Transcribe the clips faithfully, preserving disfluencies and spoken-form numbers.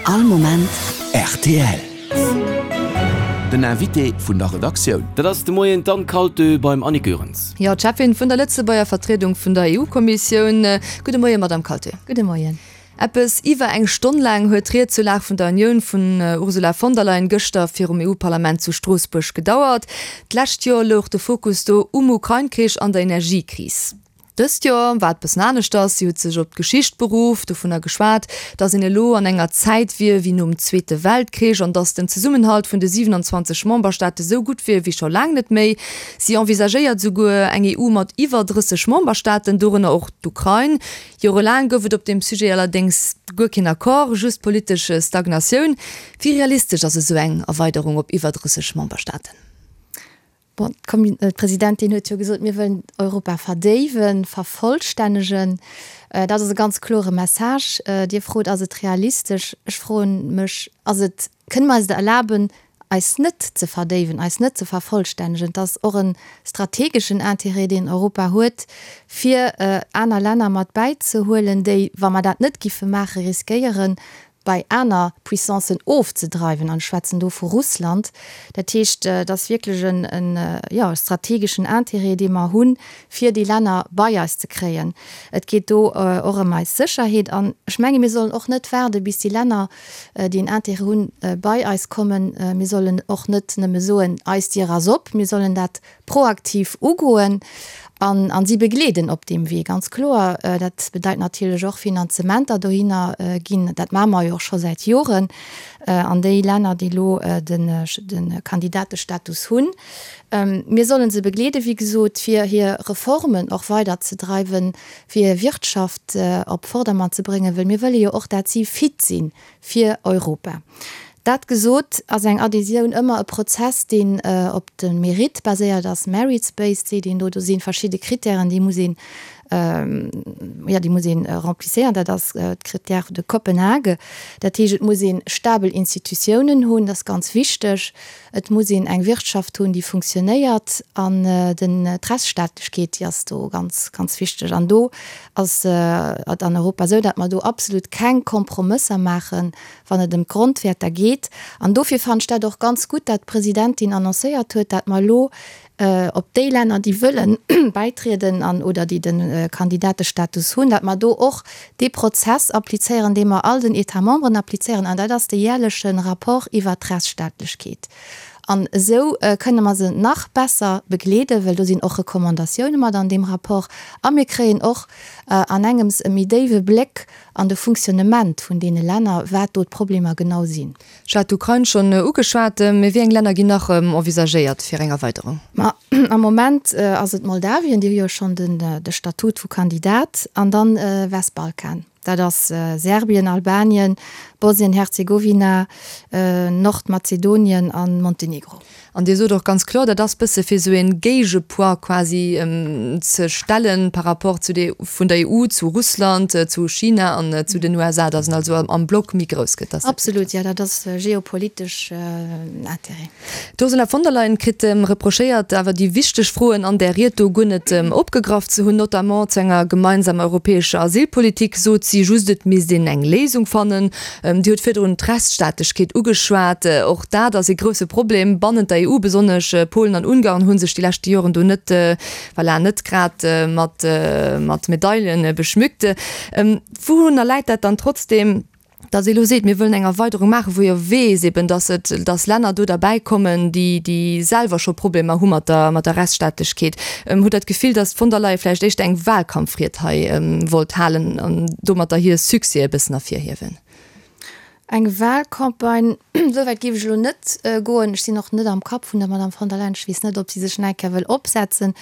All Moment rtl. Den Invité vun der Redaktioun. Dat ass de Moien d'Anne Kaltö beim Annick Goerens. Jo, d'Cheffin vun der Lëtzebuerger Vertriedung vun der EU-Kommissioun. Gudde Moien, Madamm Kaltö. Gudde Moien. Eppes iwwer eng Stonn laang huet d'Ried zur Lag vun der Unioun vun Ursula von der Leyen gëschter virum EU-Parlament zu Stroossbuerg gedauert. D'lescht Joer louch de Fokus do um Ukrain-Krich an der Energiekris. Dëst Joer war et bëssen aneschters, si huet sech op d'Geschicht beruff, dovunner geschwat, datt een elo an enger Zäit wier wéi nom Zweete Weltkrich an datt den Zesummenhalt vun de siwenanzwanzeg Memberstaate sou gutt wier wéi scho laang net méi. Si envisagéiert souguer eng E U mat iwwer drësseg Memberstaaten, dorënner och d'Ukrain. Jorelaang gouf et op deem Sujet allerdéngs guer keen Accord, just politesch Stagnatioun. Wéi realistesch ass esou eng Erweiderung op iwwer drësseg Memberstaaten? Bon, d'Presidentin huet jo gesot, mir wëllen Europa verdéiwen, vervollstännegen. Dat ass e ganz klore Message. Dir frot, ass et realistesch? Ech froe mech, ass et, kënne mer eis et erlaben, eis net ze verdéiwen, eis net ze vervollstännegen? Et ass och e strategeschen Intérêt, deen Europa huet, fir aner Länner mat bäizehuelen, déi, wa mer dat net giffe maachen, riskéieren, bei aner Puissancen ofzedreiwen, an ech schwätzen do vu Russland. Dat heescht, et ass wierklech en, jo, e strategeschen Intérêt, dee mer hunn, fir déi Länner bei eis ze kréien. Et geet do och ëm eis Sécherheet. An ech menge mir sollen och net waarde bis déi Länner, déi en Intérêt hunn, bei eis kommen. Mir sollen och net nëmme soen, eis Dier ass op. Mir sollen dat proaktiv ugoen an an si begleeden op deem Wee, ganz kloer. Dat bedeit natierlech och Finanzementer dohinner ginn. Dat maache mer jo och scho säit Joren an déi Länner, déi elo den de Kandidatestatus hunn. Mir solle se begleeden, wéi gesot, fir hir Reformen och weiderzedreiwen, fir hir Wirtschaft op Vordermann ze bréngen, well mir wëlle jo och, dat si fit si fir Europa. Dat gesot, ass eng Adhésioun ëmmer e Prozess, deen op de Mérite baséiert ass, merits-based seet een do. Do si verschidde Kritären, déi muss een, jo, déi muss een remplisséieren. Dat ass d'Critères de Copenhague. Dat heescht, et muss ee stabel Institutiounen hunn, dat ass ganz wichteg. Et muss een eng Wirtschaft hunn, déi funktionéiert. An den, d'Rechtsstaatlechkeet, déi ass do ganz, ganz wichteg. An do ass et an Europa esou, datt mer do absolut keng Kompromësser maachen, wann et ëm d'Grondwäerter geet. An dofir fannen ech dat och ganz gutt, dat d'Presidentin annoncéiert huet, dat mer elo op déi Länner, déi wëlle bäitrieden an oder déi de Kandidatestatus hunn, dat mer do och dee Prozess applizéieren, dee mer all den États membres applizéieren, an dat ass de jährleche Rapport iwwert d'Rechtsstaatlechkeet. An esou kënne mer se nach besser begleeden, well do sinn och Recommandatioune mat an deem Rapport. A mir kréien och an engems e méi déiwe Bléck an de Fonctionnement vun deene Länner, wat do d'Problemer genau sinn. Ech hat d'Ukrain schonn ugeschwat. Mee wéi eng Länner ginn nach envisagéiert fir eng Erweiderung? Ma am Moment ass et Moldawien, déi hu jo schonn de Statut vu Kandidat, an dann Westbalkan. Dat ass Serbien, Albanien, Bosnien-Herzegowina, Nordmazedonien a Montenegro. An Dir sot och ganz kloer, dat ass bësse fir esou ee Géigepoids quasi ze stellen par rapport zu de vun der E U zu Russland, zu China an zu den U S A, datt en also am Block méi grouss gëtt. Absolut, jo, dat ass geopolitesch Intérêt. D'Ursula von der Leyen kritt reprochéiert, awer déi wichteg Froen an där Ried do guer net opgegraff ze hunn, notamment zu enger gemeinsamer europäescher Asylpolitik sot si just, et misst een eng Léisung fannen. Dir hutt virdrun d'Rechtsstaatlechkeet ugeschwat. Och dat ass ee grousse Problem bannent der E U. Besonnesch Polen an Ungarn hu sech déi leschte Joren do net, voilà, net grad mat mat Medaile beschmückt. Wourunner läit dat dann trotzdeem, datt ee elo seet, mir wëllen eng Erweiderung maachen, wou jo weess eben, datt et, datt Länner do derbäi kommen, déi, déi selwer scho Problemer hu mat der, mat der Rechtsstaatlechkeet? Hutt Der d'Gefill, datt d'von der Leyen vläicht éischter eng Wahlkampfried hei wollt halen an domatter hir Succès e bëssen ervirhiewen? Eng Wahlcampagne, esou wäit géif ech elo net goen. Ech sinn och net am Kapp vun der Madame von der Leyen. Ech weess net, ob si sech nach eng Kéier wëll opsetzen.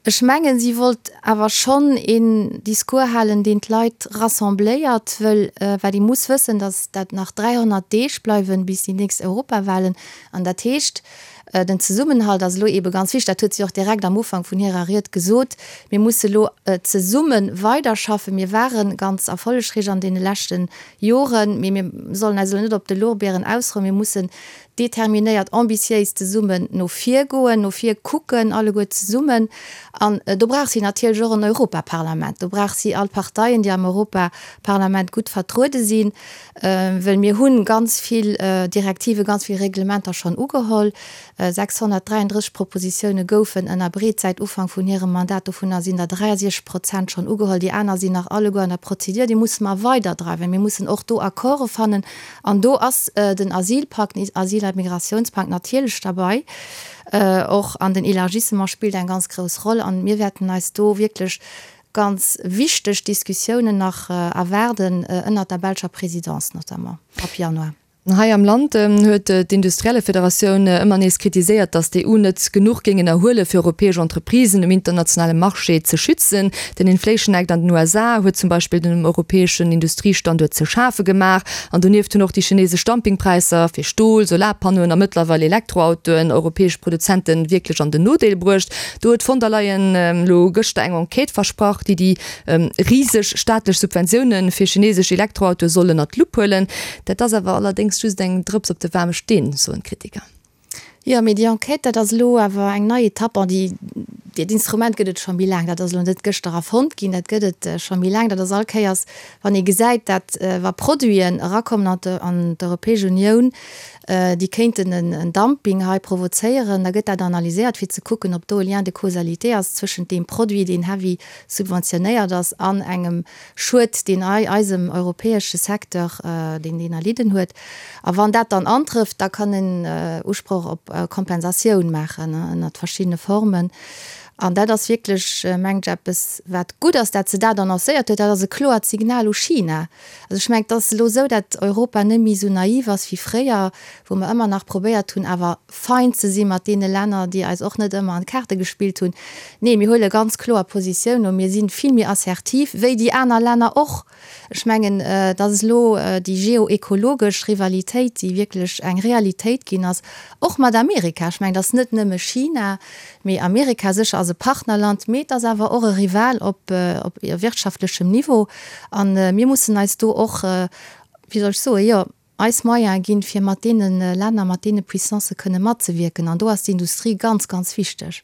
Ech mengen, si wollt awer schonn een Discours halen, deen d'Leit rassembléiert, wëll wat ee muss wëssen, datt dat nach dräihonnert Deeg bleiwen bis déi nächst Europawahlen. An dat heescht, den Zesummenhalt ass elo eebe ganz wichteg. Dat huet si och direkt am Ufank vun hirer Ried gesot. Mir musse elo zesumme weiderschaffen. Mir ware ganz erfollegreich an deene leschte Joren, mee mir sollen eis elo net op de Lorbeeren ausrouen. Mir mussen determinéiert, ambitiéis zesummen no vir goen, no vir kucken, alleguer zesummen. An do brauch si natierlech och en Europaparlament. Do brauch si all Parteien, déi am Europaparlament gutt vertruede sinn, well mir hu ganz vill Direktive, ganz vill Reglementer schonn ugeholl. sechshonnertdräianddrësseg Propositioune goufen ënnerbreet säit Ufank vun hirem Mandat. Dovunner sinn der dräiasiechzeg Prozent schonn ugeholl. Déi aner sinn nach alleguer an der Prozedur. Déi musse mer weiderdreiwen. Mir mussen och do Accorde fannen. An do ass den Asylpakt, den Asyl a Migrationspakt natierlech derbei. Och an den Élargissement spillt eng ganz grouss Roll. An mir wäerten eis do wierklech ganz wichteg Diskussiounen nach erwaarden, ënnert der belscher Présidence notamment ab Januar. Hei am Land huet d'Industriellefederatioun ëmmer nees kritiséiert, datt d'EU net genuch géing ënnerhuele fir europäesch Entreprisen um internationale Marché ze schützen. Den Inflation Act an den U S A huet zum Beispill dem europäeschen Industriestanduert ze schafe gemaach. An donieft hunn och déi chinesesch Dumpingpräisser fir Stol, Solarpannoen a mëttlerweil Elektroautoen europäesch Produzente wierklech an den Nodeel bruecht. Do huet d'von der Leyen elo gëschter eng Enquête versprach, déi déi riseg staatlech Subventioune fir chinesesch Elektroautoe soll ënnert d'Lupp huelen. Dat ass awer allerdéngs just eng Drëps op de waarme Steen, soen d'Kritiker. Jo, mee déi Enquête, dat ass elo awer eng nei Etapp. Bon, déi, dat Instrument gëtt et scho méi laang. Dat ass elo net gëschter erfonnt ginn, dat gëtt et scho méi laang. Dat ass all Kéiers, wann ee gesäit, dat wa Produiten erakommen an d'Europäesch Unioun, déi kéinten en Dumping hei provozéieren, da gëtt dat analyséiert, fir ze kucken, ob do e Lien de causalité ass zwëschent deem Produit, deen heavy subventionéiert ass, an engem Schued, deen hei eisem europäesche Secteur, deen deen erlidden huet. A wann dat dann antrëfft, da kann en Usproch op Kompensatioun maachen ënnert verschiddene Formen. An dat ass wierklech, mengen ech, eppes, wat gutt ass, dat se dat annoncéiert huet. Dat ass e kloert Signal u China. Also ech mengen, et ass elo esou, dat Europa net méi esou naiv ass wéi fréier, wou mer ëmmer nach probéiert hunn, awer fein ze si mat deene Länner, déi eis och net ëmmer an d'Kaarte gespillt hunn. Nee, mir huele ganz kloer Positioun a mir si vill méi assertiv wéi déi aner Länner och. Ech mengen, et ass elo déi geoekologesch Rivalitéit, déi wierklech eng Realitéit ginn ass, och mat Amerika. Ech mengen, et ass net nëmme China, mee Amerika sécher ass e Partnerland, mee et ass awer och e Rival op wirtschaftlechem Niveau. A mir mussen eis do och, wéi soll ech soen, jo, eis Moyene ginn, fir mat deene Länner, mat deene Puissancë kënne matzewierken. An do ass d'Industrie ganz, ganz wichteg.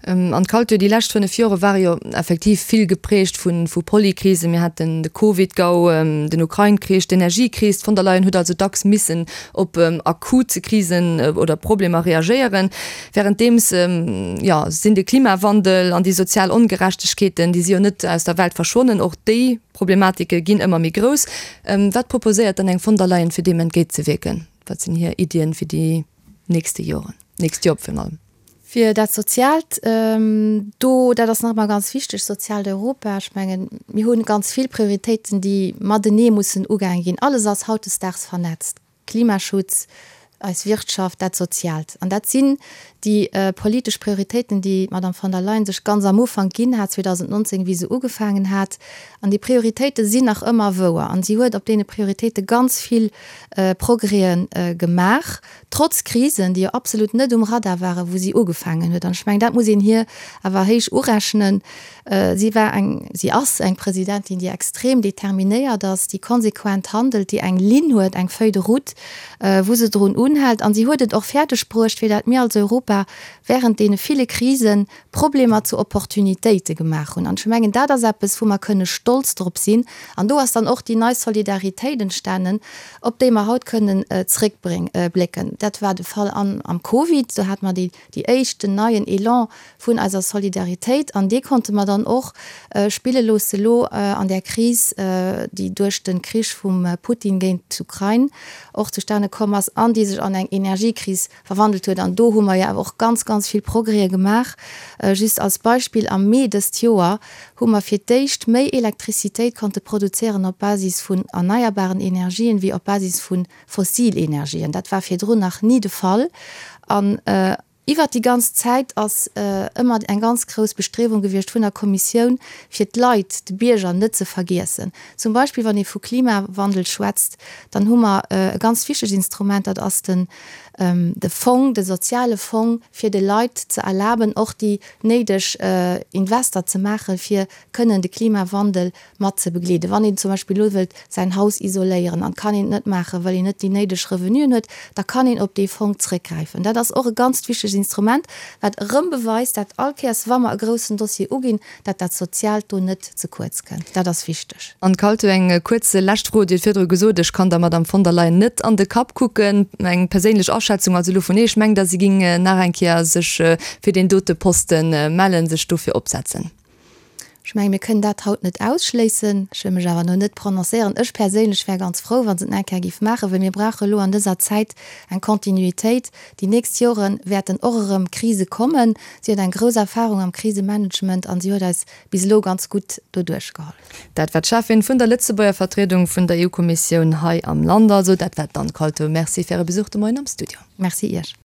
An d'Kalt, jo, déi lescht fënnef Jore ware jo effektiv vill geprägt vu vu Polykrisen. Mir haten de Covid-Gau, den Ukrain-Krich, d'Energiekris. D'von der Leyen huet also dacks missen op akut Krisen oder Problemer reagéieren. Wärenddeems, jo, sinn de Klimawandel an déi sozial Ongerechtegkeeten, déi si jo net aus der Welt verschwonnen. Och déi Problematike ginn ëmmer méi grouss. Wat proposéiert dann eng von der Leyen, fir deem entgéintzewierken? Wat sinn hir Iddien fir déi nächste Joren, nächst Joer virun allem? Fir dat Soziaalt, do, dat ass nach ëmmer ganz wichteg, soziaalt Europa, ech mengen, mir hu ganz vill Prioritéiten, déi matenee mussen ugaange ginn. Alles ass hautdesdaags vernetzt, Klimaschutz, eis Wirtschaft, dat Soziaalt. An dat sinn déi politesch Prioritéiten, déi d'Madame von der Leyen sech ganz am Ufank ginn hat, zweedausendnonzéng, wéi se ugefaangen hat. An déi Prioritéite sinn nach ëmmer wouer. An si huet op deene Prioritéite ganz vill Progrèsen gemaach. Trotz Krisen, déi jo absolut net um Radar waren, wou si ugefaangen huet. An ech mengen, dat muss een hir awer héich urechnen. Si war eng, si ass eng Presidentin, déi extrem determinéiert ass, déi konsequent handelt, déi eng Linn huet, eng Feuille de route, wou se drun unhält. An si huet et och fäerdeg bruecht, fir dat mir als Europa während deene ville Krisen Problemer zu Opportunitéite gemaach hunn. An ech mengen, dat ass eppes, wou mer kënne stolz drop sinn. An do ass dann och déi nei Solidaritéit entstanen, op déi mer haut kënnen zréckblécken. Dat war de Fall am Covid, do hate mer déi éischt, den neien Elan vun eiser Solidaritéit an dee konnte mer dann och spille loosse lo an där Kris, déi duerch de Krich vum Putin géint d'Ukrain och zustane komm ass an déi sech an eng Energiekris verwandelt huet. An do hu mer jo awer och ganz, ganz vill Progrèse gemaach. Just als Beispill, Am Mee dëst Joer hu mer fir d'éischt méi Elektrizitéit konnte produzéieren op Basis vun erneierbaren Energien wéi op Basis vu fossil Energien. Dat war virdrun nach ni de Fall. An Iwwert déi ganz Zäit ass ëmmer eng ganz grouss Bestriewung gewiescht vun der Kommissioun, fir d'Leit, de Bierger net ze vergiessen. Zum Beispill wann ee vu Klimawandel schwätzt, dann hu mer e ganz wichtegt Instrument, dat ass den de Fong, de soziale Fong, fir de Leit ze erlaben, och déi néideg Invester ze maachen, fir kënnen de Klimawandel mat ze begleeden. Wann een zum Beispill elo wëllt säin Haus isoléieren an kann een et net maachen, well een net déi néideg Revenuen huet, da kann een op dee Fong zréckgräifen. Dat ass och e ganzt wichtegt Instrument, wat erëm beweist, dat all Kéiers, wa mer e groussen Dossier uginn, dat dat Soziaalt do net ze kuerz kënnt. Dat ass wichteg. Anne Kaltho, eng kuerz lescht Fro. Dir hutt virdru gesot, ech kann der Madamm von der Leyen net an de Kapp kucken. Eng perséinlech Aschätzung also elo vun Iech, mengt Der, si géing nach eng Kéier sech fir deen dote Posten mellen, sech dofir opsetzen? Ech mengen, mir kënnen dat haut net ausschléissen. Ech wëll mech awer elo net prononcéieren. Ech perséinlech wär ganz frou, wa se et nach eng Kéier géif maachen, well mir brauche elo an dëser Zäit eng Kontinuitéit. Déi nächst Jore wäerten och erëm Krise kommen. Si huet eng grouss Erfahrung am Krisemanagement an si huet eis bis elo ganz gutt doduerch geholl. Dat war d'Cheffin vun der Lëtzebuerger Vertriedung vun der EU-Kommissioun hei am Land. Also dat war d'Anne Kalto. Merci fir Äre Besuch de Moien am Studio. Merci Iech.